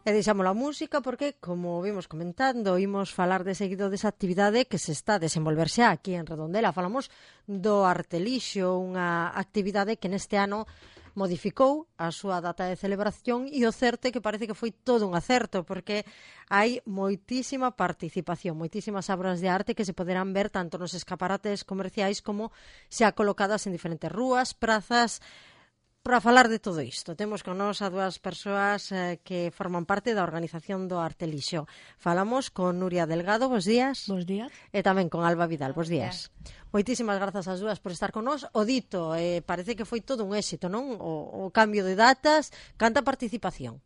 E deixamos a música porque, como vimos comentando, imos falar de seguido desa actividade que se está a desenvolverse aquí en Redondela. Falamos do Artelixo, unha actividade que neste ano modificou a súa data de celebración e o certo é que parece que foi todo un acerto porque hai moitísima participación, moitísimas obras de arte que se poderán ver tanto nos escaparates comerciais como xa colocadas en diferentes rúas, prazas. Para falar de todo isto, temos con nós a dúas persoas que forman parte da organización do Artelixo. Falamos con Nuria Delgado, bos días. Bos días. E tamén con Alba Vidal, bos días. Moitísimas grazas ás dúas por estar con nós. O dito, parece que foi todo un éxito, non? O cambio de datas, canta participación.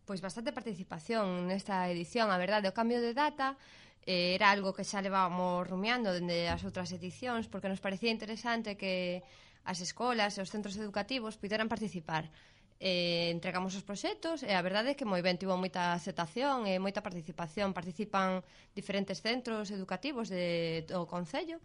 Pois bastante participación nesta edición, a verdade, o cambio de data era algo que xa levábamos rumiando dende as outras edicións, porque nos parecía interesante que as escolas e os centros educativos puderan participar. Entregamos os proxectos e a verdade é que moi ben, tivo moita aceptación e moita participación. Participan diferentes centros educativos do Concello.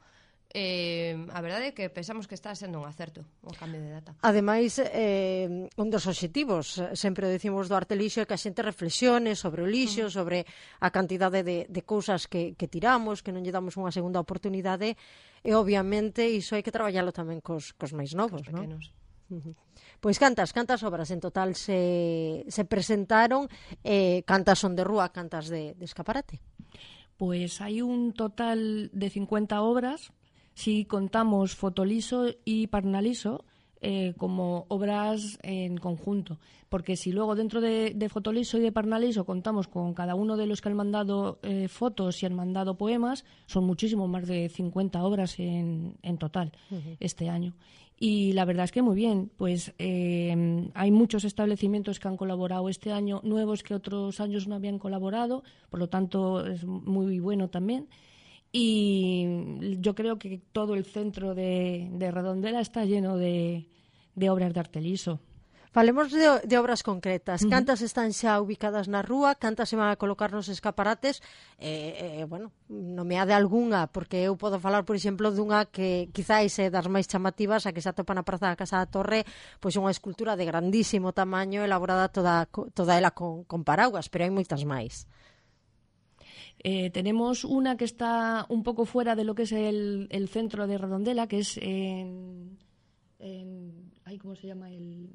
A verdade é que pensamos que está sendo un acerto o cambio de data. Ademais, un dos obxectivos, sempre o decimos do Artelixo, é que a xente reflexione sobre o lixo, sobre a cantidade de cousas que tiramos, que non lle damos unha segunda oportunidade, e obviamente iso hai que traballalo tamén cos máis novos, non? Pois cantas obras en total se presentaron, cantas son de rúa, cantas de escaparate? Pois hai un total de 50 obras, si contamos fotoliso e parnaliso como obras en conjunto, porque si luego dentro de fotoliso y de parnaliso contamos con cada uno de los que han mandado fotos y han mandado poemas, son muchísimo más de 50 obras en total este año. Y la verdad es que muy bien, pues hay muchos establecimientos que han colaborado este año, nuevos que otros años no habían colaborado, por lo tanto es muy bueno también. Y yo creo que todo el centro de Redondela está lleno de obras de Artelixo. Falemos de obras concretas. Cantas están xa ubicadas na rúa, cantas se van a colocar nos escaparates, bueno, nomeade algunha, porque eu podo falar, por exemplo, dunha que quizáis é das máis chamativas, a que se atopa na Praza da Casa da Torre, pois unha escultura de grandísimo tamaño, elaborada toda ela con paraguas, pero hai moitas máis. Tenemos una que está un poco fuera de lo que es el centro de Redondela, que es ¿cómo se llama?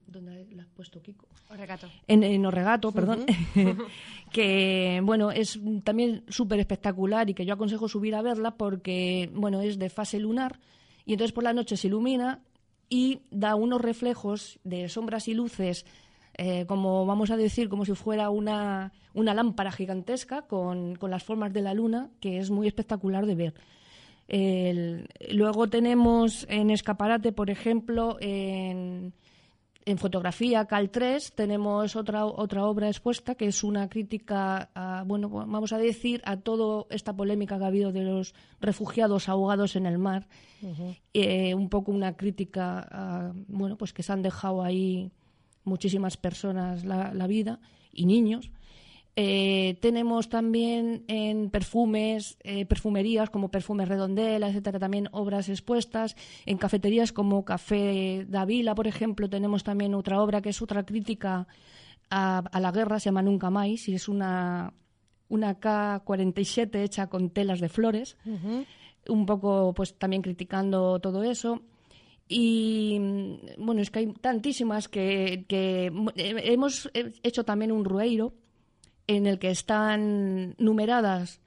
¿Dónde la has puesto, Kiko? Orregato. En Orregato, perdón. Que, bueno, es también súper espectacular y que yo aconsejo subir a verla porque, bueno, es de fase lunar y entonces por la noche se ilumina y da unos reflejos de sombras y luces, como vamos a decir, como si fuera una lámpara gigantesca con las formas de la luna, que es muy espectacular de ver. Luego tenemos en escaparate, por ejemplo, en fotografía Cal 3 tenemos otra obra expuesta que es una crítica bueno, vamos a decir, a toda esta polémica que ha habido de los refugiados ahogados en el mar. Un poco una crítica bueno, pues que se han dejado ahí muchísimas personas la vida y niños. Tenemos también en perfumes, perfumerías como Perfumes Redondela, etcétera, también obras expuestas. En cafeterías como Café da Vila, por ejemplo, tenemos también otra obra que es otra crítica a la guerra, se llama Nunca Máis, y es una K-47 hecha con telas de flores, un poco pues también criticando todo eso. Y bueno, es que hay tantísimas que hemos hecho también un rueiro en el que están numeradas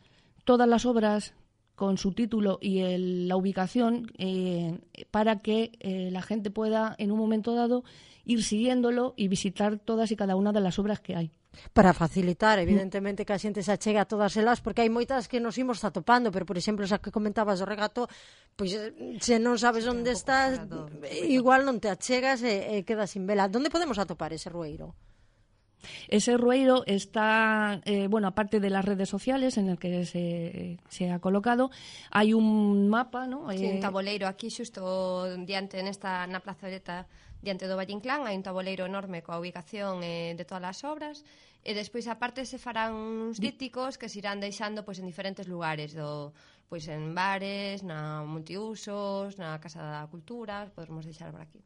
todas las obras con su título y la ubicación para que la gente pueda en un momento dado ir siguiéndolo y visitar todas y cada una de las obras que hay. Para facilitar, evidentemente, que a xente se achegue a todas elas, porque hai moitas que nos imos atopando, pero, por exemplo, esa que comentabas do Regato, pois se non sabes onde estás, igual non te achegas e quedas sin vela. Onde podemos atopar ese rueiro? Ese rueiro está, bueno, aparte de las redes sociales en el que se ha colocado, hay un mapa, ¿no? Sí, un tabuleiro aquí xusto diante na plazoleta diante do Valle Inclán hai un tabuleiro enorme coa ubicación de todas as obras, e despois aparte se farán uns dípticos que se irán deixando pois en diferentes lugares pois en bares, na multiusos, na Casa da Cultura, podemos deixar por aquí.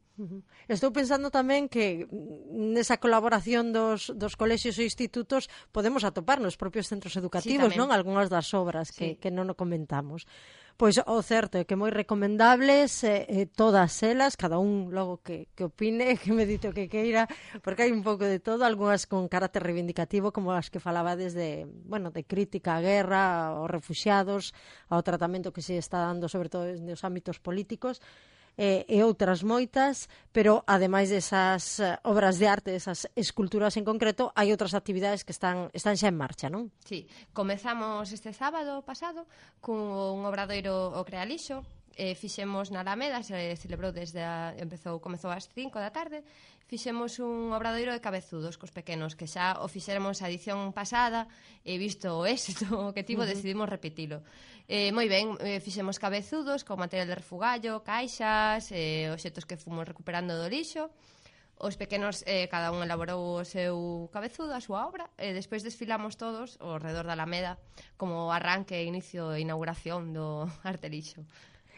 Estou pensando tamén que nesa colaboración dos colexios e institutos podemos atopar nos propios centros educativos, non? Algunhas das obras que non o comentamos. Pois o certo é que moi recomendables todas elas, cada un logo que opine, que medite o que queira, porque hai un pouco de todo, algunhas con carácter reivindicativo, como as que falabades de crítica á guerra, aos refuxiados, ao tratamento que se está dando sobre todo nos ámbitos políticos, e outras moitas, pero ademais desas obras de arte, desas esculturas en concreto, hai outras actividades que están xa en marcha, non? Sí, comezamos este sábado pasado cun obradoiro o Crealixo, fixemos na Alameda, se celebrou comezou ás 5 da tarde, fixemos un obradoiro de cabezudos cos pequenos, que xa o fixéramos a edición pasada, e visto o éxito que tivo, decidimos repetilo. Moi ben, fixemos cabezudos con material de refugallo, caixas, obxetos que fomos recuperando do lixo. Os pequenos, cada un elaborou o seu cabezudo, a súa obra, e despois desfilamos todos ao redor da Alameda como arranque, inicio e inauguración do Arte Lixo.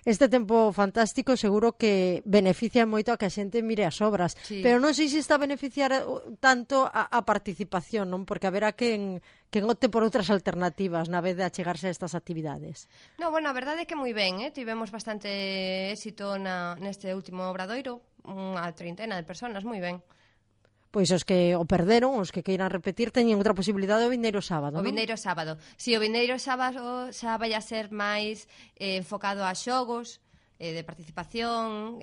Este tempo fantástico seguro que beneficia moito a que a xente mire as obras, sí. Pero non sei se está a beneficiar tanto a participación, non? Porque haberá quen opte por outras alternativas na vez de achegarse a estas actividades. No, bueno, a verdade é que moi ben, tivemos bastante éxito neste último obradoiro, unha treintena de personas, moi ben. Pois os que o perderon, os que queiran repetir, teñen outra posibilidade o vindeiro sábado, non? O vindeiro sábado. Si, o vindeiro sábado xa vai a ser máis enfocado a xogos de participación,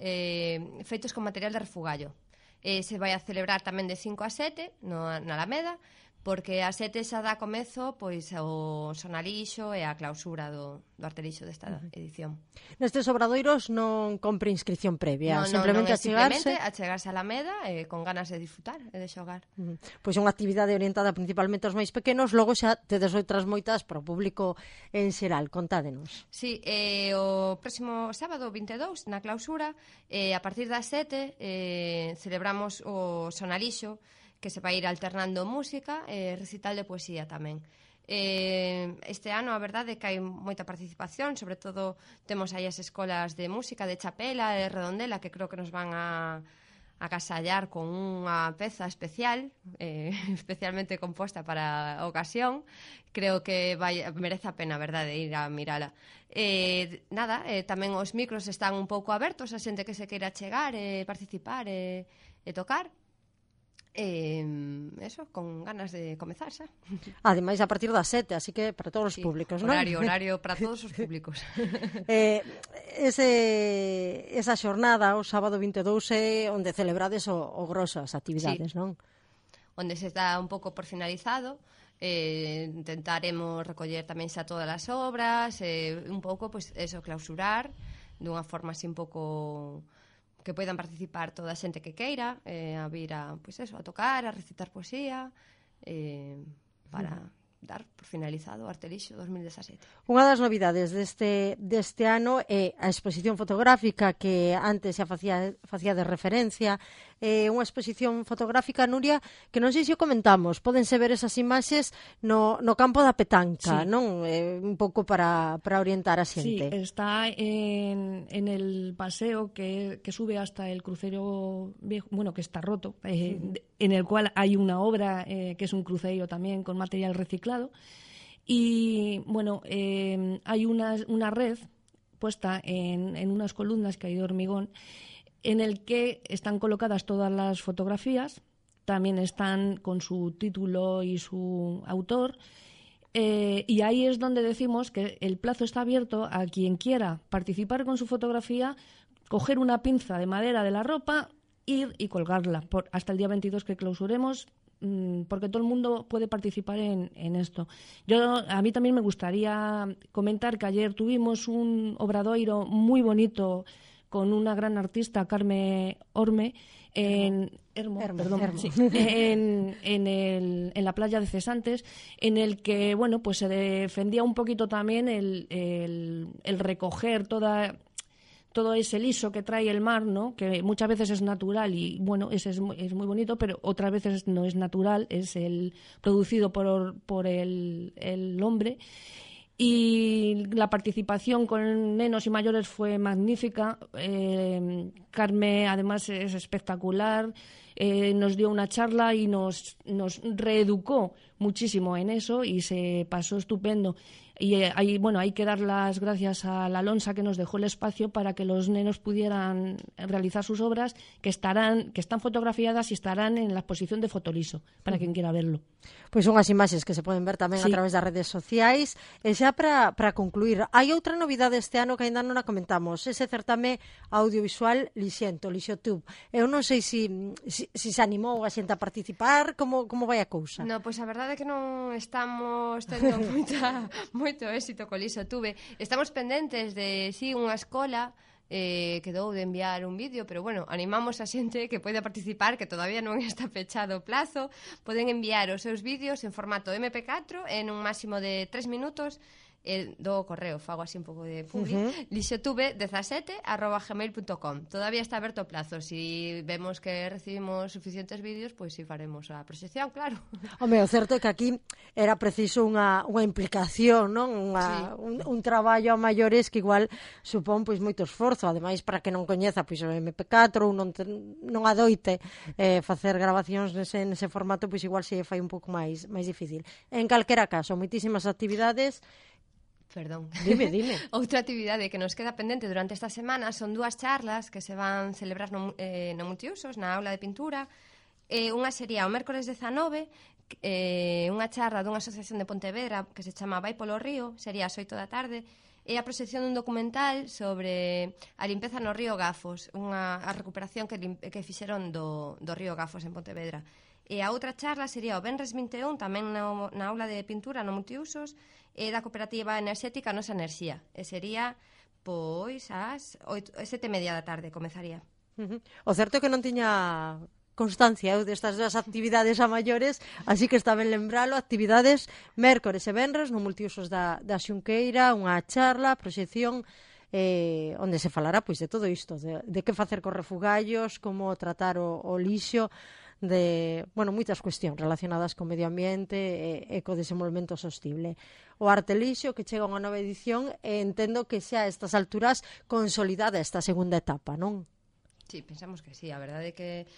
feitos con material de refugallo. Se vai a celebrar tamén de 5 a 7 na Alameda, porque a 7 xa dá comezo pois o sonalixo e a clausura do Arte Lixo desta edición. Nestes obradoiros non compre inscripción previa, simplemente achegarse a Alameda con ganas de disfrutar e de xogar. Pois unha actividade orientada principalmente aos máis pequenos, logo xa tedes outras moitas para o público en xeral, contádenos. Sí, o próximo sábado 22 na clausura, a partir das 7 celebramos o sonalixo, que se vai ir alternando música e recital de poesía tamén. Este ano a verdade é que hai moita participación, sobre todo temos aí as escolas de música de Chapela e de Redondela, que creo que nos van a agasallar con unha peza especial, especialmente composta para a ocasión. Creo que merece a pena, verdade, ir a mirala. Tamén os micros están un pouco abertos a xente que se queira chegar e participar e tocar. Eso, con ganas de comezar xa. Ademais a partir das 7, así que para todos os públicos, non? Horario para todos os públicos. Esa xornada, o sábado 22, é onde celebrades o grosso as actividades, non? Onde se está un pouco por finalizado. Intentaremos recoller tamén xa todas as obras, un pouco, pois, eso, clausurar dunha forma así un pouco que poidan participar toda a xente que queira, a vir a tocar, a recitar poesía, para dar por finalizado o Arte Lixo 2017. Unha das novidades deste ano é a exposición fotográfica que antes xa facía de referencia, unha exposición fotográfica, Nuria, que non sei se o comentamos, pódense ver esas imaxes no campo da petanca, sí. Non? Un pouco para orientar a xente. Sí, está en el paseo que sube hasta el crucero viejo, bueno, que está roto, en el cual hay una obra que es un cruceiro también con material reciclado. Y bueno, hay una red puesta en unas columnas que hay de hormigón, en el que están colocadas todas las fotografías, también están con su título y su autor, y ahí es donde decimos que el plazo está abierto a quien quiera participar con su fotografía, coger una pinza de madera de la ropa, ir y colgarla hasta el día 22 que clausuremos, porque todo el mundo puede participar en esto. A mí también me gustaría comentar que ayer tuvimos un obradoiro muy bonito con una gran artista, Carme Orme, en la playa de Cesantes, en el que bueno, pues se defendía un poquito también el recoger toda todo ese liso que trae el mar, ¿no? Que muchas veces es natural y, bueno, ese es muy bonito, pero otras veces no es natural, es el producido por el hombre. Y la participación con nenos y mayores fue magnífica. Carme, además, es espectacular. Nos dio una charla y nos reeducó muchísimo en eso y se pasó estupendo. Y hay que dar las gracias a la Alonsa, que nos dejó el espacio para que los nenos pudieran realizar sus obras, que están fotografiadas y estarán en la exposición de Fotoliso, para quien quiera verlo. Pois son as imaxes que se poden ver tamén a través das redes sociais. E xa para concluir, hai outra novidade este ano que ainda non a comentamos, ese certame audiovisual Lixotube. Eu non sei se se animou a xente a participar, como vai a cousa? No, pois a verdade é que non estamos tendo moito éxito co Lixotube. Estamos pendentes de unha escola quedou de enviar un vídeo, pero bueno, animamos a xente que poida participar, que todavía non está pechado o plazo. Poden enviar os seus vídeos en formato MP4 en un máximo de 3 minutos do correo, fago así un pouco de publi, lixotube17@gmail.com. Todavía está aberto o plazo. Si vemos que recibimos suficientes vídeos, pois si faremos a proxección, claro. Home, o certo é que aquí era preciso unha implicación, non? Un traballo a maiores que igual supón pois moito esforzo, ademais para que non coñeza pois o MP4 ou non adoite facer grabacións nese formato, pois igual se fai un pouco máis difícil. En calquera caso, moitísimas actividades. Perdón. Dime. Outra actividade que nos queda pendente durante esta semana son 2 charlas que se van celebrar no Multiusos, na aula de pintura. Unha sería o mércores 19, unha charla dunha asociación de Pontevedra que se chama Vai polo Río, sería ás 8 da tarde, e a proxección dun documental sobre a limpeza no río Gafos, a recuperación que fixeron do río Gafos en Pontevedra. E a outra charla sería o venres 21, tamén na aula de pintura no Multiusos, da cooperativa enerxética Nosa Enerxía. E sería, pois, ás 7:30 da tarde, comezaría. O certo é que non tiña constancia destas dúas actividades a maiores, así que está ben lembralo, actividades mércores e venres no Multiusos da Xunqueira, unha charla, proxección, onde se falará pois de todo isto, de que facer cos refugallos, como tratar o lixo, de, moitas cuestións relacionadas co medio ambiente e co desenvolvemento sostible. O Artelixo, que chega a unha nova edición, entendo que xa a estas alturas consolidada esta segunda etapa, non? Sí, pensamos que sí, a verdade é que,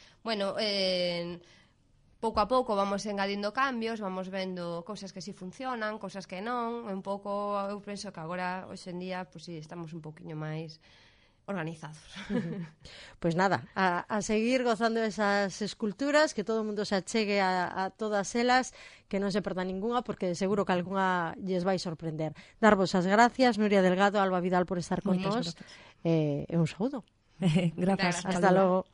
pouco a pouco vamos engadindo cambios, vamos vendo cousas que sí funcionan, cousas que non, un pouco, eu penso que agora, hoxe en día, pois sí, estamos un pouquiño máis organizados. Pois nada, a seguir gozando esas esculturas, que todo o mundo se achegue a todas elas, que non se perda ninguna, porque seguro que algunha lles vai sorprender. Darvos as gracias, Nuria Delgado, Alba Vidal, por estar con nós, e un saúdo. Gracias. Hasta logo.